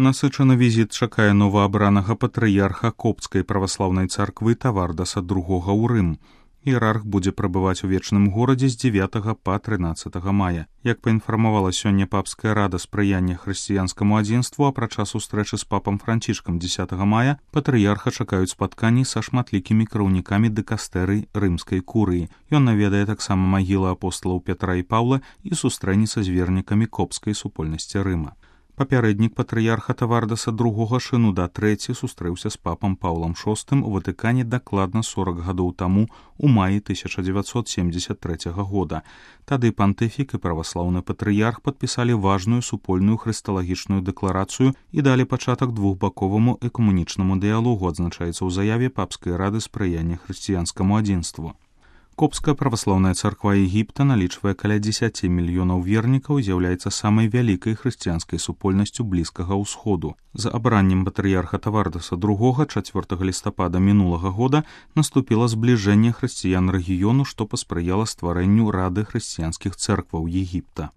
Насычаны візіт чакае новаабранага патрыярха Копцкай праваслаўнай царквы Тавардаса II ў Рым. Іерарх будзе прабываць у вечным горадзе з 9 па 13 мая. Як паінфармавала сёння папская рада спрыяння хрысціянскаму адзінству, апрача сустрэчы з папам Францішкам 10 мая, патрыярха чакаюць спатканні са шматлікімі кіраўнікамі дэкастэрый рымскай курыі. Ён наведае таксама магілы апосталаў Пятра і Паўла і сустрэнецца з вернікамі копскай супольнасці Рыма. Папярэднік патрыярха Тавардаса II Шынуда III сустрэўся з папам Паўлам VI у Ватыкане дакладна 40 гадоў таму у маі 1973 года. Тады пантыфік і праваслаўны патрыярх падпісалі важную супольную хрысталагічную дэкларацыю і далі пачатак двухбаковаму экумэнічнаму дыялогу, адзначаецца ў заяве папскай рады спрыяння хрысціянскаму адзінству. Копская праваслаўная царква Егіпта налічвае каля 10 мільёнаў вернікаў і з'яўляецца самай вялікай хрысціянскай супольнасцю Блізкага ўсходу. За абраннем патрыярха Тавардаса II 4 лістапада мінулага года наступіла збліжэнне хрысціян рэгіёну, што паспрыяла стварэнню рады хрысціянскіх цэркваў Егіпта.